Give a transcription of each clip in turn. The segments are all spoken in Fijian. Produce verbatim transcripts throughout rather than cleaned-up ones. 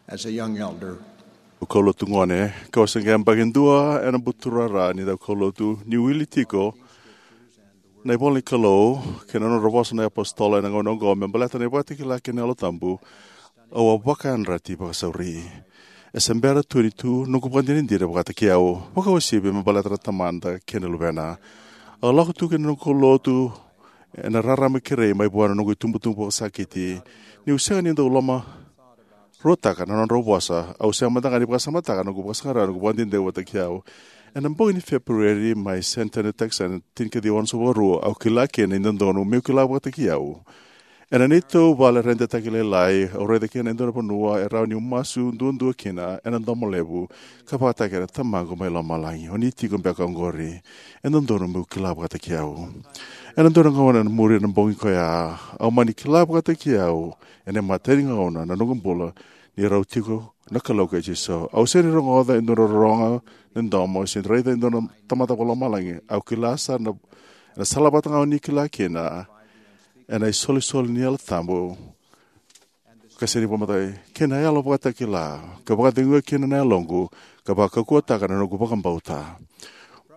As a young elder, au kaulotu gone, kau se qai yabaki dua ena buturara ni daukaulotu, ni wili tiko na ivola ni Kalou kei na nodra vosa na iapositolo ena gauna oqo me baleta na ivakatakila kei na Yalo Tabu. Au a vakayadrati vakasauri. E se bera tu ni tu noqu vakadinadina vakataki au, vakauasivi me baleta na Tamada kei na Luvena. Au lako tu ki na noqu kaulotu ena rarama kerei mai vua na noqu itubutubu vakasakiti. Niu sega ni dau lomaruataka na nodrau vosa, au sega mada ga ni vakasamataka na noqu vakasaqara na noqu vakadinadina vakataki au. Ena bogi ni Feperueri mai San Antonio, Texas, ena tinikaciwa onosagavulu ka rua, au kila kina ni dodonu meu kila vakataki au. Ena neitou vale redetaki lailai, au raica kina e dua na vanua e rawa niu masu duadua kina ena domo levu, ka vakataki kina, "Tamaqu mai lomalagi, o ni tiko beka oqori? E dodonu meu kila vakataki au." Ena dua na gauna ena muri na bogi koya, au mani kila vakataki au ena imatai ni gauna na noqu bula ni rau tiko na Kalou kei Jisu. Au sega ni rogoca e dua na rorogo ni domo, se raica e dua na tamata vakalomalagi. Au kila sara na, na sala vata ga o ni kila kina ena isolisoli ni Yalo Tabu, ka sega ni vakamatai, kei na yalo vakatakila, ka vakaceguya kina na yaloqu, ka vakaukauwataka na noqu vakabauta.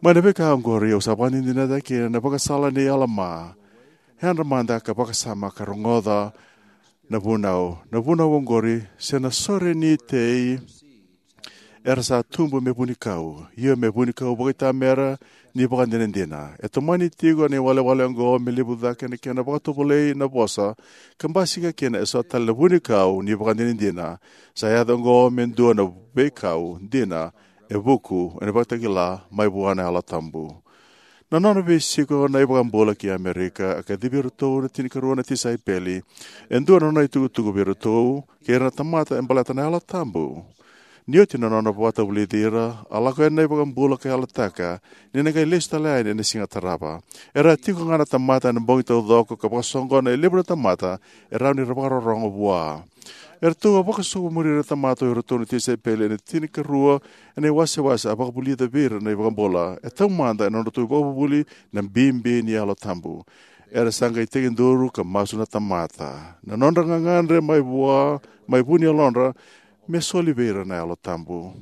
Mai na veika oqori au sa vakadinadinataka kina na vakasala nei Alama. Yadra mada ka vakasama ka rogoca na vunau. Na vunau oqori, se na sore ni tei era sa tubu me vunikau, io me vunikau vakaitamera ni vakadinadina. E tomani tiko na iwalewale oqo me levu cake na kena vakatovolei na vosa, ka basika kina eso tale na vunikau ni vakadinadina. Sa yaco oqo me dua na veikau dina e vuku ena vakatakila mai vua na Yalo Tabu. Na nona veisiko na iVakabula ki Amerika, a kacivi iratou na tinikarua na tisaipeli. E dua na nona itukutuku vei iratou kei ira na tamata e baleta na Yalo Tabu. Ni oti na nona vakatavulici ira, a lako yani na iVakabula ka yalataka ni na qai lesu tale yani ena siga tarava. Era a tiko ga na tamata ena bogi taucoko ka vakasoqona e levu na tamata e rawa ni ra vakarorogo vua. Eratou a vakasokumuni ira na tamata o iratou na tisaipeli ena tinikarua ena iwasewase a vakavulica vei ira na iVakabula. E taumada ena nodratou ivakavuvuli na bibi ni Yalo Tabu. Era sa qai tekiduru ka masu na tamata. Na nodra gagadre mai vua, mai vu ni yalodra, me soli vei ira na Yalo Tabu.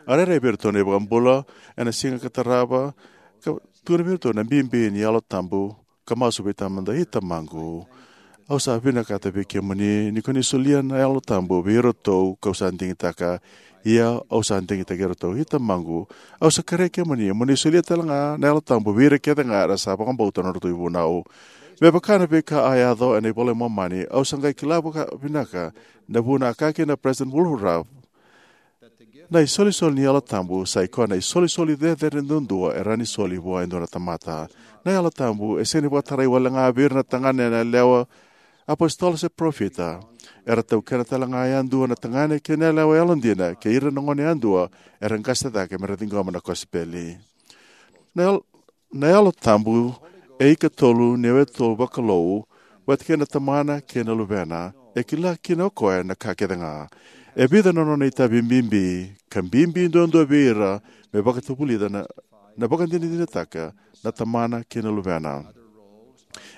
A rairai vei iratou na iVakabula ena siga ka tarava, ka tukuna vei iratou na bibi ni Yalo Tabu, ka masu vei Tamada: "I Tamaqu, au sa vinakata vei kemuni ni ko ni solia na Yalo Tabu vei iratou kau sa digitaka. Ia au sa digitaki iratou. I Tamaqu, au sa kerei kemuni mo ni solia tale ga na Yalo Tabu vei ira kece ga era sa vakabauta na nodratou ivunau." Me vaka na veika a yaco ena iVola i Momani, au sa qai kila vakavinaka na vuna a kaya kina na President Wilford Woodruff: "Na isolisoli ni Yalo Tabu sa i koya na isolisoli cecere duadua e rawa ni soli vua e dua na tamata." Na Yalo Tabu e sega ni vakatarai wale ga vei ira na tagane na yalewa, apositolo se parofita. Era taukena tale ga yadua na tagane kei na yalewa yalodina kei ira na gone yadua era qase cake me ra ciqoma na kosipeli. Na Yalo, na Yalo Tabu e ikatolu ni yawetolu vakalou, vata kei na Tamana kei na Luvena. E kila kina o koya na ka kece ga. E vica na nona itavi bibi, ka bibi duadua vei ira me vakatavulica na, na vakadinadinataka na Tamana kei na Luvena.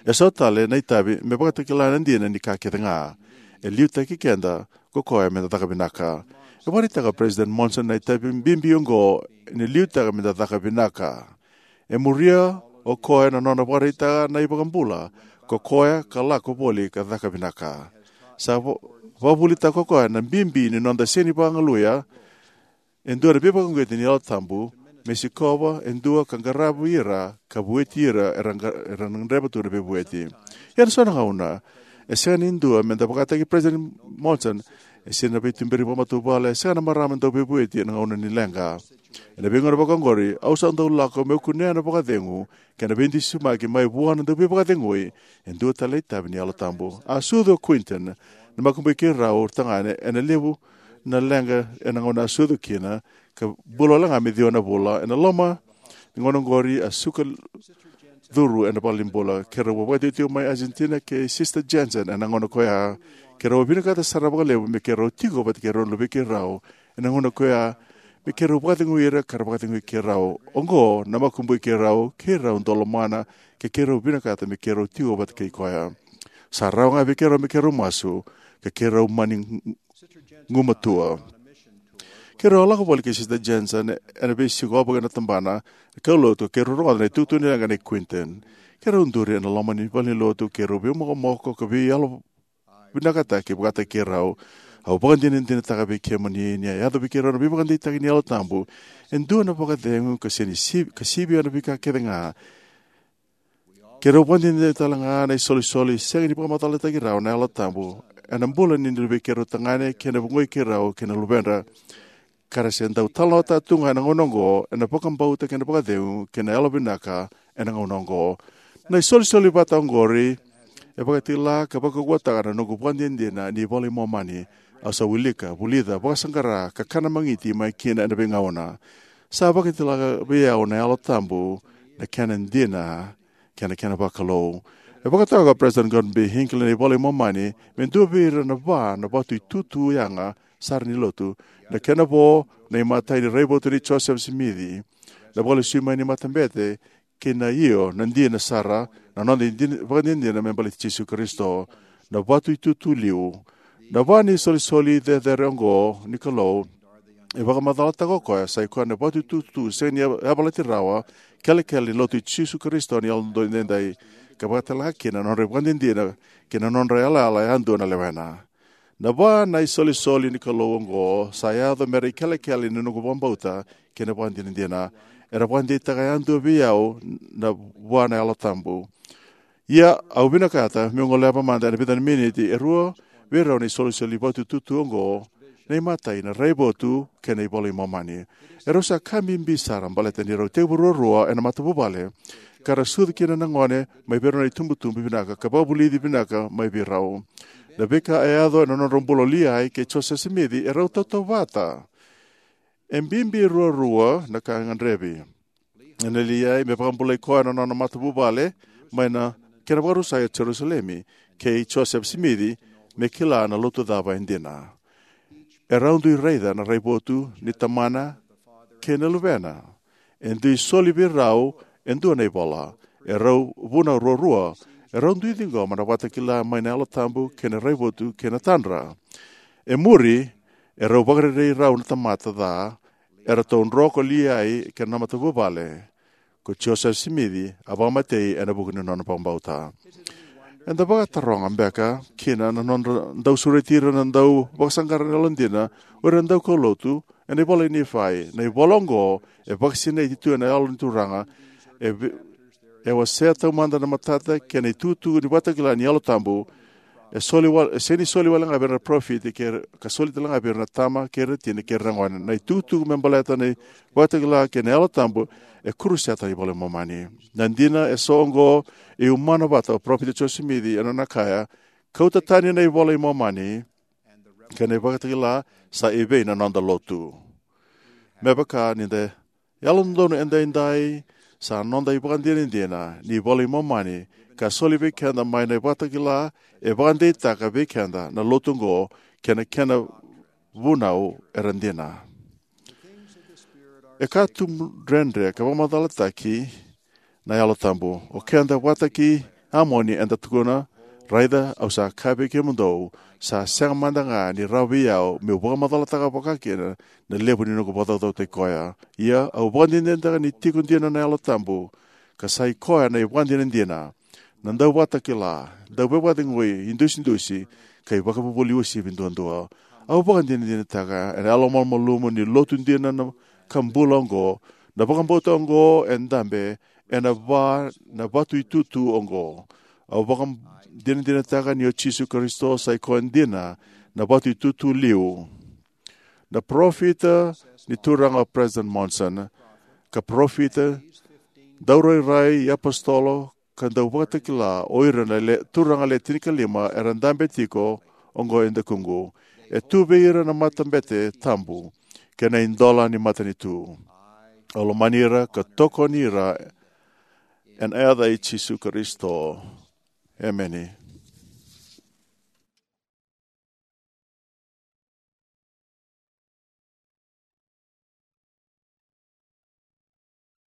E so tale na itavi me vakatakila na dina ni ka kece ga. E liutaki keda ko koya me da caka vinaka. E vakaraitaka o President Monson na itavi bibi oqo ni liutaka me da caka vinaka. E muria o koya na nona vakaraitaka na iVakabula, ko koya ka lako voli ka caka vinaka. Sa va-, vakavuvulitaka ko koya na bibi ni noda sega ni vakagaluya e dua na veivakauqeti ni Yalo Tabu me sikova e dua ka qaravi ira ka vueti ira era qa-, era gadreva tu na veivueti. Ia ena so na gauna, e sega ni dua me da vakataki President Monson, e sega na veituberi vakamatavuvale, e sega na marama dau veivueti ena gauna ni leqa. Ena veigauna vaka oqori, au sa dau lako meu kunea na vakacegu kei na veidusimaki mai vua na Dauveivakacegui, e dua tale na itavi ni Yalo Tabu. A sucu o Quentin, na makubui keirau tagane, ena levu na leqa ena gauna a sucu kina, ka bula wale ga me ciwa na vula. Ena loma ni gauna oqori a suka curu ena valenibula. Keirau vakatikotiko mai Argentina kei Sister Jensen ena gauna koya. Keirau vinakata sara vakalevu me keirau tiko vata kei rau na luvei keirau ena gauna koya, me keirau vakacegui ira ka ra vakacegui keirau. Oqo na makubui keirau, keirau dau lomana, ka keirau vinakata me keirau tiko vata kei koya. Sa rawa ga vei keirau me keirau masu, ka keirau mani gumatua. Keirau a lako voli kei Sister Jensen ena veisiko ovoga ena tabana kaulotu, keirau rogoca na itukutuku ni leqa nei Quentin. Keirau duri ena loma ni valenilotu, keirau veimokomoko ka veiyalo vinakataki vakataki keirau. Au vakadinadinataka vei kemuni ni a yaco vei keirau na veivakadeitaki ni Yalo Tabu e dua na vakacegu ka sega ni sivi, ka sivia na veika kece ga. Keirau vakadinadina tale ga na isolisoli sega ni vakamacalataki rawa na Yalo Tabu ena bula ni luvei keirau tagane kei na vugoi keirau kei na luvedra, ka ra se dau talanoataka tu ga ena gauna oqo ena vakabauta kei na vakacegu kei na yalovinaka ena gauna oqo. Na isolisoli vata oqori e vakatakila ka vakaukauwataka na noqu vakadinadina ni iVola i Momani. Au sa wilika, vulica, vakasaqara ka kana magiti mai kina ena veigauna. Sa vakatakila vei au na Yalo Tabu na kena dina kei na kena vakalou. E vakatoka o President Gordon B. Hinckley na iVola i Momani me dua vei ira na va na vatu itutu yaga sara ni lotu. Na kena vo, na imatai ni raivotu nei Joseph Smith, na vakalesui mai ni matabete, kei na io, na dina sara, na noda idina, vakadinadina me baleti Jisu Karisito, na vatu itutu liu. Na va ni isolisoli cecere oqo ni Kalou e vakamacalataka o koya sa i koya na vatu itutu sega ni yavalati rawa, kelekele ni lotu i Jisu Karisito ni Yalododonu Edaidai, ka vakatalega kina na nodra ivakadinadina kei na nodra yalayala yadua na lewena. Na va na isolisoli ni Kalou oqo sa yaco me ra ikelekele ni noqu vakabauta kei na vakadinadina. Era vakadeitaka yadua vei au na vua na Yalo Tabu. Ia, au vinakata meu goleva mada ena vica na miniti e rua vei rau na isolisoli vatu itutu oqo, na imatai na raivotu kei na iVola i Momani. Erau sa ka bibi sara baleta ni rau tekivu ruarua ena matavuvale, ka ra sucu kina na gone mai vei rau na itubutubu vinaka ka vakavulici vinaka mai vei rau. Na veika e yaco ena nodrau bula o Liai kei Joseph Smith e rau tautauvata. E bibi ruarua na ka e gadrevi. Ena Liai me vakabulai koya na nona matavuvale mai na kena vakarusai o Jerusalemi, kei Joseph Smith me kila na lotu cava e dina. E rau dui raica na raivotu ni tamana kei na luvena. E dui soli vei rau e dua na ivola. E rau vunau ruarua. E rau dui ciqoma na vakatakila mai na Yalo Tabu kei na raivotu kei na tadra. E muri, e rau vakarerei rau na tamata ca, eratou dro ko Liai kei na matavuvale. Ko Joseph Smith a vakamatei ena vuku ni nona vakabauta. Eda vakataroga beka kina na nodra dau sureti ira na dau vakasaqara na yalodina o ira na daukaulotu ena ivola i Nifai. Na ivola oqo e vakasinaiti tu ena Yalo ni Turaga, e vi-, e wasea taumada na matata kei na itukutuku ni vakatakila ni Yalo Tabu. E soli wa-, e sega ni soli wale ga vei ira na parofita kei, ka soli tale ga vei ira na tama kei ira na tina kei ira na gone. Na itukutuku me baleta na vakatakila kei na Yalo Tabu e kuruseta na iVola i Momani. Na dina e so oqo e umana vata o parofita Joseph Smith ena nona kaya, kauta tani na iVola i Momani kei na ivakatakila sa evei na noda lotu. Me vaka ni da yalododonu edaidai, sa noda ivakadinadina ni iVola i Momani ka soli vei keda mai na ivakatakila e vakadeitaka vei keda na lotu oqo kei na kena vunau era dina. E ka tu dredre ka vakamacalataki na Yalo Tabu. O keda vata kei Amoni eda tukuna, raica, au sa kaya vei kemudou, sa sega mada ga ni rawa vei au meu vakamacalataka vakakina na levu ni noqu vakacaucautaki koya. Ia, au vakadinadinataka ni tiko dina na Yalo Tabu, ka sa i koya na ivakadinadina, na dauvakatakila, dauveivakacegui, idusidusi, ka ivakavuvuli uasivi duadua. Au vakadinadinataka ena yalomalumalumu ni lotu dina na ka bula oqo, na vakabauta oqo e dabe ena va na vatu itutu oqo. Au vakadinadinataka ni o Jisu Karisito sa i koya dina na vatu itutu liu. Na parofita ni Turaga o President Monson, ka parofita, daurairai, iapositolo, ka dauvakatakila o ira na le, turaga le tinikalima era dabe tiko oqo e dakuqu. E tu vei ira na matabete tabu kei na idola ni matanitu. Au lomani ira ka tokoni ira ena yaca i Jisu Karisito. Emeni.